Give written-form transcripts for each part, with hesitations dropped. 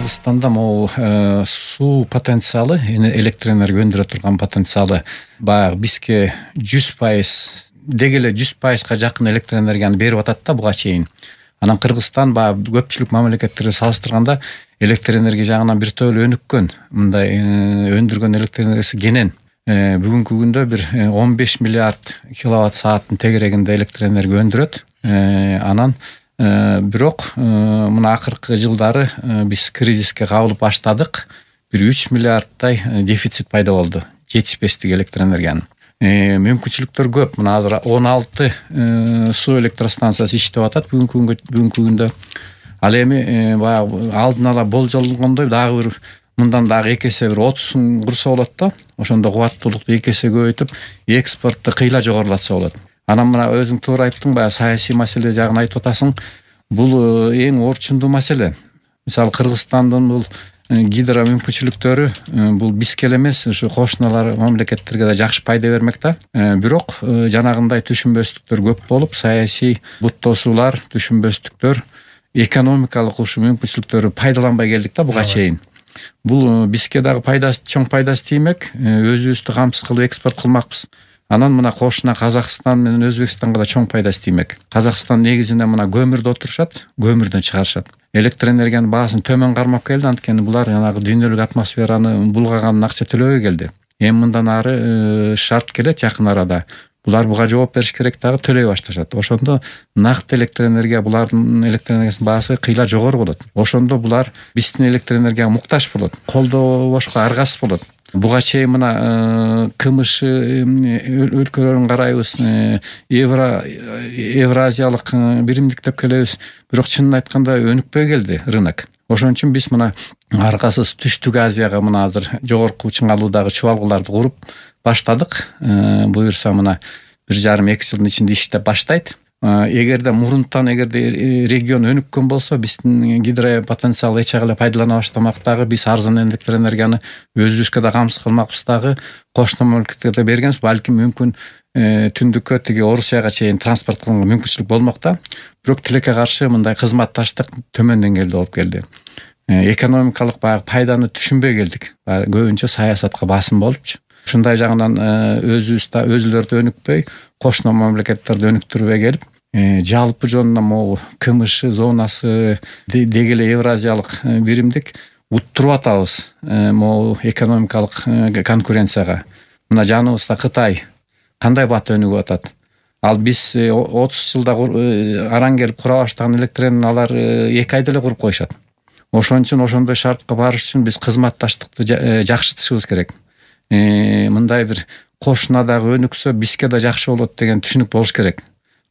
Кыргызстанда могу суу потенциалы, электр энергия өндүрө турган потенциалы баягы бизге 100%, деги эле 100%га жакын электр энергияны берип атат да буга чейин. Анан Кыргызстан баягы көпчүлүк мамлекеттерге салыштырганда электр энергия жагынан бир топ эле өнүккөн, мындай өндүргөн электр энергиясы кенен. Бүгүнкү күндө бир 15 миллиард киловатт сааттын тегерегинде электр энергия өндүрөт. Анан бирок мына акыркы жылдары биз кризиске кабылып баштадык. Бир 3 миллиардтай дефицит пайда болду, жетишпестик электр энергиянын. Мүмкүнчүлүктөр көп. Мына азыр 16 суу электростанциясы иштеп атат бүгүнкү күндө. Ал эми баягы алдын ала болжолгондой дагы бир мындан дагы 2 эсе бир 30 курса болот да. Ошондо кубаттуулукту 2 эсе көбөйтүп, экспортту кыйла жогорулатса болот. Анан мына өзүң туура айттың, баягы саясий маселе жагын айтып атасың. Бул эң орчундуу маселе. Мисалы Кыргызстандын бул гидро мүмкүнчүлүктөрү бул бизге эле эмес, ушу кошуналар мамлекеттерге да жакшы пайда бермек да. Бирок жанагындай түшүнбөстүктөр көп болуп, саясий буттосуулар, түшүнбөстүктөр, экономикалык ушу мүмкүнчүлүктөрү пайдаланбай келдик да буга чейин. Бул бизге дагы пайдасы, чоң пайдасы тиймек. Өзүбүздү камсыз кылып экспорт кылмакпыз. Анан мына кошуна Казакстан менен Өзбекстанга да чоң пайдасы тиймек. Казакстан негизинде мына көмүрдү отурушат, көмүрдөн чыгарышат. Электр энергиянын баасын төмөн кармап келди, анткени булар жанагы дүйнөлүк атмосфераны булгаганын акча төлөбөй келди. Эми мындан ары шарт келет жакын арада. Булар буга жооп бериш керек, дагы төлөй башташат. Ошондо накты электр энергия, булардын электр энергиясынын баасы кыйла жогору болот. Ошондо булар биздин электр энергияга муктаж болот, колдобошко аргасыз болот. Буга чейин мына КМШ өлкөлөрүн карайбыз, Евразиялык биримдик деп келебиз. Бирок чынын айтканда өнүкпөй келди рынок. Ошон үчүн биз мына аркасыз Түштүк Азияга мына азыр жогорку чыңалуудагы чубалгыларды куруп баштадык. Буюрса мына 1,5-2 жылдын ичинде иштеп баштайт. Эгерде мурунтан регион өнүккөн болсо, биздин гидро потенциалы эч ага эле пайдалана баштамак дагы, биз арзан электр энергияны өзүбүзгө да камсыз кылмакпыз дагы, кошуна мамлекеттерге бергенбиз. Балким мүмкүн түндүккө тиги Орусияга чейин транспорт кылганга мүмкүнчүлүк болмок да. Бирок тилекке каршы мындай кызматташтык төмөн деңгээлде болуп келди. Экономикалык баягы пайданы түшүнбөй келдик. Көбүнчө саясатка басым болупчу. Ушундай жагынан өзүлөрдү өнүкпөй, кошуна мамлекеттерди өнүктүрбөй келип, жалпы жонунан могу КМШ зонасы, деги эле Евразиялык биримдик уттуруп атабыз могу экономикалык конкуренцияга. Мына жаныбызда Кытай кандай бат өнүгүп атат. Ал биз 30 жылда араң келип кура баштаган электр энергияны алар 2 айда эле куруп коюшат. Ошон үчүн ошондой шартка барыш үчүн биз кызматташтыкты жакшыртышыбыз керек. Мындай бир кошунадагы өнүксө бизге да жакшы болот деген түшүнүк болуш керек.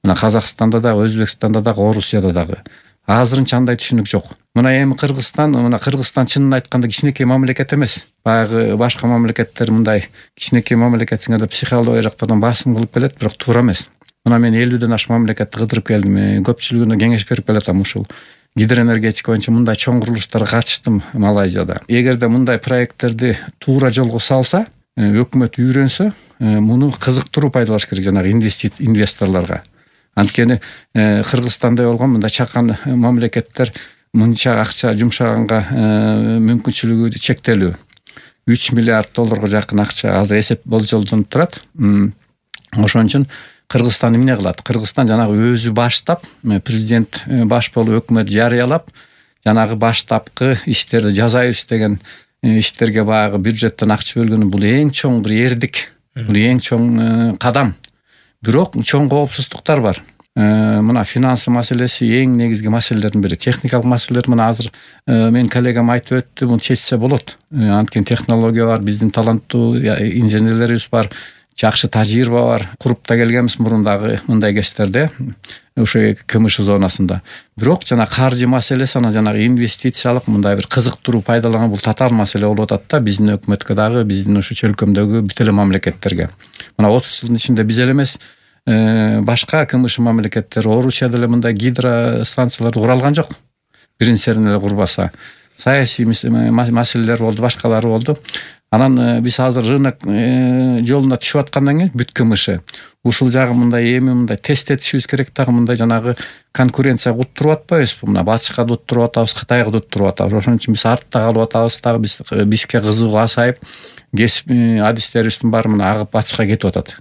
Мына Казакстанда дагы, Өзбекстанда дагы, Орусияда дагы. Азырынча андай түшүнүк жок. Мына эми Кыргызстан чынын айтканда кичинекей мамлекет эмес. Баягы башка мамлекеттер мындай кичинекей мамлекетсиңер деп психология жактардан басым кылып келет, бирок туура эмес. Мына мен 50ден ашык мамлекетти кыдырып келдим. Көпчүлүгүнө кеңеш берип келатам ушул. Гидроэнергетика боюнча мындай чоң курулуштарга катыштым Малайзияда. Эгерде мындай проекттерди туура жолго салса, өкмөт үйрөнсө, муну кызыктыруу пайдалаш керек жанагы инвесторлорго. Анткени Кыргызстандай болгон мындай чакан мамлекеттер мынча акча жумшаганга мүмкүнчүлүгү чектелүү. 3 миллиард долларга жакын акча азыр эсеп болжолдонуп турат. Ошон үчүн Кыргызстан эмне кылат? Кыргызстан жанагы өзү баштап, президент баш болуп өкмөт жарыялап, жанагы баштапкы иштерди жасайбыз деген иштерге баягы бюджеттен акча бөлгөнү бул эң чоң бир эрдик, бул эң чоң кадам. Бирок чоң коопсуздуктар бар. Мына финансы маселеси эң негизги маселелердин бири. Техникалык маселелер мына азыр мен коллегам айтып өттү, муну чечсе болот. Анткени технология бар, биздин таланттуу инженерлерибиз бар. Жакшы тажрыйба бар. Куруп да келгенбиз мурундагы мындай кездерде, ошо КМШ зонасында. Бирок жана каржы маселеси, анан жанагы инвестициялык мындай бир кызыктыруу пайдаланган бул татаал маселе болуп атат да биздин өкмөткө дагы, биздин ошо чөлкөмдөгү бүт эле мамлекеттерге. Мына 30 жылдын ичинде биз эле эмес, башка КМШ мамлекеттер, Орусияда эле мындай гидро станцияларды кура алган жок. Биринчисин эле курбаса. Саясий маселелер болду, башкалары болду. Анан биз азыр рынок жолуна түшүп аткандан кийин бүт кмш ушул жагы мындай эми мындай тест этишибиз керек дагы, мындай жанагы конкуренцияга уттуруп атпайбызбы? Мына батышка да уттуруп атабыз, Кытайга да уттуруп атабыз. Ошон үчүн биз артта калып атабыз дагы. Бизге кызыгуу азайып, кесип адистерибиздин баары мына агып батышка кетип атат.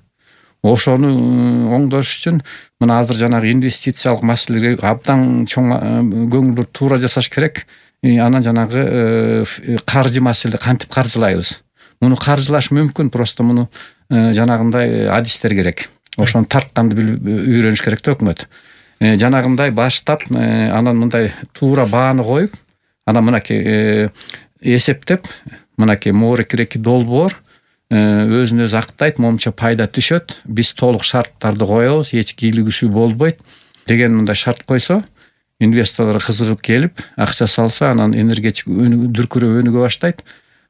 Ошону оңдош үчүн мына азыр жанагы инвестициялык маселелерге абдан чоң көңүл туура жасаш керек. Анан жанагы каржы маселе кантип каржылайбыз? Муну каржылаш мүмкүн, просто муну жанагындай адистер керек. Ошону тартканды үйрөнүш керек да өкмөт. Жанагындай баштап, анан мындай туура бааны коюп, анан мынакей эсептеп, мынакей моорекиреки долбоор өзүн өзү актайт, момча пайда түшөт, биз толук шарттарды коебуз, эч кийлигишүү болбойт деген мындай шарт койсо, инвесторлор кызыгып келип, акча салса, анан энергетик дүркүрөп өнүгө баштайт.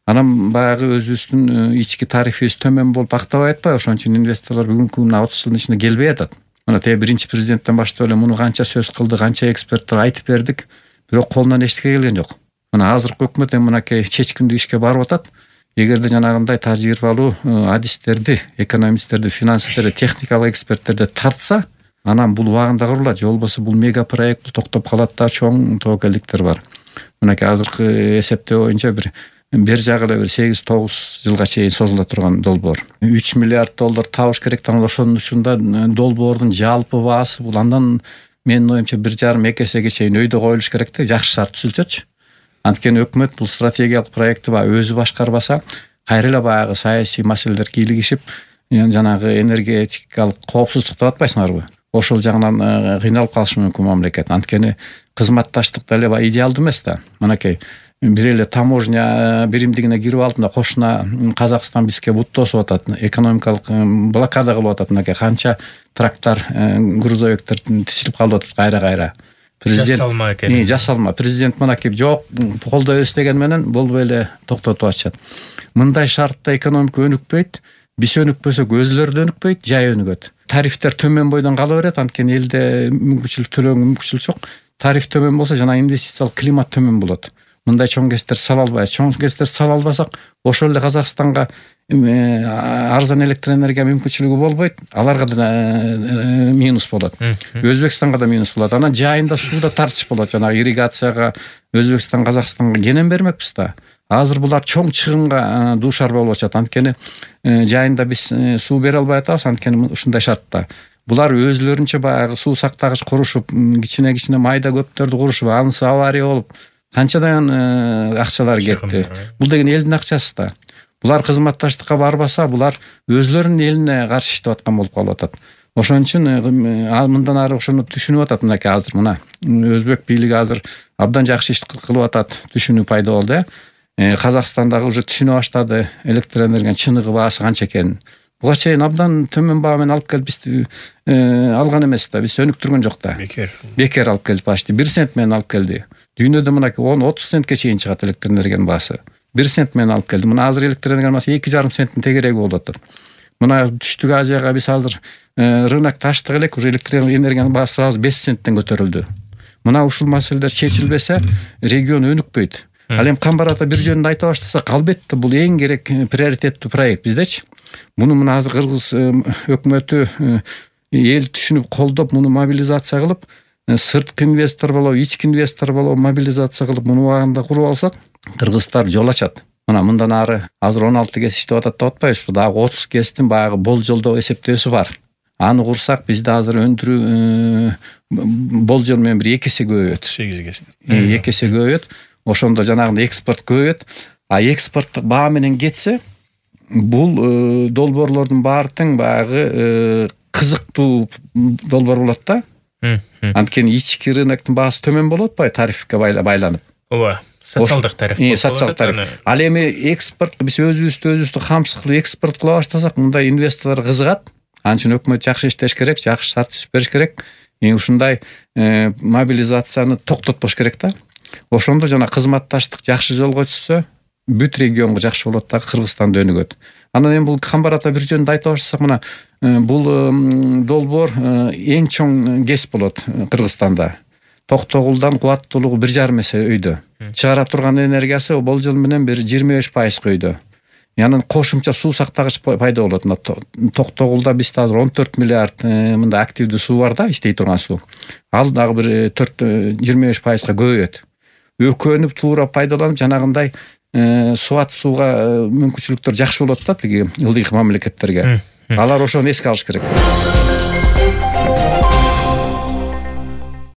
Анан баягы өзүбүздүн ички тарифибиз төмөн болуп актабай атпайбы? Ошон үчүн инвесторлор бүгүнкү мына 30 жылдын ичинде келбей атат. Мына биринчи президенттен баштап эле муну канча сөз кылды, канча эксперттер айтып бердик, бирок колунан эчтеке келген жок. Мына азыркы өкмөт мынакей чечкиндүү ишке барып атат. Эгерде жанагындай тажрыйбалуу адистерди, экономисттерди, финансисттерди, техникалык эксперттерди тартса, анан бул убагында курулат. Же болбосо бул мега проект токтоп калат да, чоң тобокелдиктер бар. Мынакей азыркы эсептөө боюнча бир жагы эле 8-9 жылга чейин созула турган долбоор. 3 миллиард доллар табыш керек. Ошонун ушунда долбоордун жалпы баасы бул андан менин оюмча 1,5-2 эсеге чейин өйдө коюлуш керек да, жакшы шарт түзүлсөчү. Анткени өкмөт бул стратегиялык проектти өзү башкарбаса, кайра эле баягы саясий маселелер кийлигишип, жанагы энергетикалык коопсуздук деп атпайсыңарбы? Ошол жагынан кыйналып калышы мүмкүн мамлекет. Анткени кызматташтык деле идеалдуу эмес да. Мынакей бир эле таможня биримдигине кирип алдында кошуна Казакстан бизге бут тосуп атат, экономикалык блокада кылып атат. Мынакей канча трактор, грузовиктер тизилип калып атат кайра-кайра. Президент жасалма экен. Жасалма. Президент мынакей жок, колдойбуз деген менен болбой эле токтотуп атышат. Мындай шартта экономика өнүкпөйт. Биз өнүкпөсөк өзүлөрү да өнүкпөйт, жай өнүгөт. Тарифтер төмөн бойдон кала берет, анткени элде мүмкүнчүлүк төлөөгө мүмкүнчүлүк жок. Тариф төмөн болсо жана инвестициялык климат төмөн болот. Мындай чоң кесиптер сала албайбыз. Чоң кесиптер сала албасак, ошол эле Казакстанга арзан электр энергия мүмкүнчүлүгү болбойт. Аларга да минус болот. Өзбекстанга да минус болот. Анан жайында сууда тартыш болот. Жана ирригацияга Өзбекстан, Казакстанга кенен бермекпиз да. Азыр булар чоң чыгынга дуушар болуп атышат. Анткени жайында биз суу бере албай атабыз. Анткени ушундай шартта. Булар өзлөрүнчө баягы суу сактагыч курушуп, кичине майда көптөрдү курушуп, анысы авария болуп, канчадан акчалар кетти. Бул деген элдин акчасы да. Булар кызматташтыкка барбаса, булар өзлөрүнүн элине каршы иштеп аткан болуп калып атат. Ошон үчүн мындан ары ошону түшүнүп атат. Мынакей азыр мына өзбек бийлиги азыр абдан жакшы иш кылып атат. Түшүнүү пайда болду. Казакстандагы уже түшүнө баштады электр энергиянын чыныгы баасы канча экенин. Буга чейин абдан төмөн баа менен алып келип бизди алган эмес да, биз өнүктүргөн жок да. Бекер алып келип почти 1 цент менен алып келди. Дүйнөдө мынакей 10-30 центке чейин чыгат электр энергиянын баасы. 1 цент менен алып келди. Мына азыр электр энергиянын баасы 2,5 центтин тегереги болуп атат. Мына Түштүк Азияга биз азыр рынокто ачтык элек, уже электр энергиянын баасы сразу 5 центтен көтөрүлдү. Мына ушул маселелер чечилбесе, регион өнүкпөйт. Ал эми Камбарата бир жөнүндө айта баштасак, албетте бул эң керек приоритеттүү проект биздечи. Муну мына азыр Кыргыз өкмөтү эл түшүнүп колдоп, муну мобилизация кылып, сырткы инвестор болобу, ички инвестор болобу мобилизация кылып, муну убагында куруп алсак, кыргыздар жол ачат. Мына мындан ары азыр 16 кес иштеп атат деп атпайбызбы? Дагы 30 кестин баягы болжолдоо эсептөөсү бар. Аны курсак, бизде азыр өндүрүү болжол менен бир 2 эсе көбөйөт. 8 кестин. 2 эсе көбөйөт. Ошондо жанагындай экспорт көбөйөт. А экспорттук баа менен кетсе, бул долбоорлордун баары тең баягы кызыктуу долбоор болот да. Анткени ички рыноктун баасы төмөн болуп атпайбы тарифке байланып. Ооба. Социалдык тариф. Социалдык тариф. Ал эми экспорт биз өзүбүздү камсыз кылып экспорт кыла баштасак, мындай инвесторлор кызыгат. Анын үчүн өкмөт жакшы иштеш керек, жакшы шарт түзүп бериш керек. Ушундай мобилизацияны токтотпош керек да. Ошондо жана кызматташтык жакшы жолго түшсө, бүт регионго жакшы болот да, Кыргызстан да өнүгөт. Анан эми бул Камбарата бир жөнүндө айта баштасак, мына бул долбоор эң чоң кес болот Кыргызстанда. Токтогулдан кубаттуулугу 1,5 эсе өйдө. Чыгара турган энергиясы болжол менен бир 25% өйдө. анан кошумча суу сактагыч пайда болот. Мына Токтогулда бизде азыр 14 миллиард мындай активдүү суу бар да, иштей турган суу. Ал дагы бир 25%га көбөйөт. Өкөнүп туура пайдаланып жанагындай сууат сууга мүмкүнчүлүктөр жакшы болот да тиги ылдыйкы мамлекеттерге. Алар ошону эске алыш керек.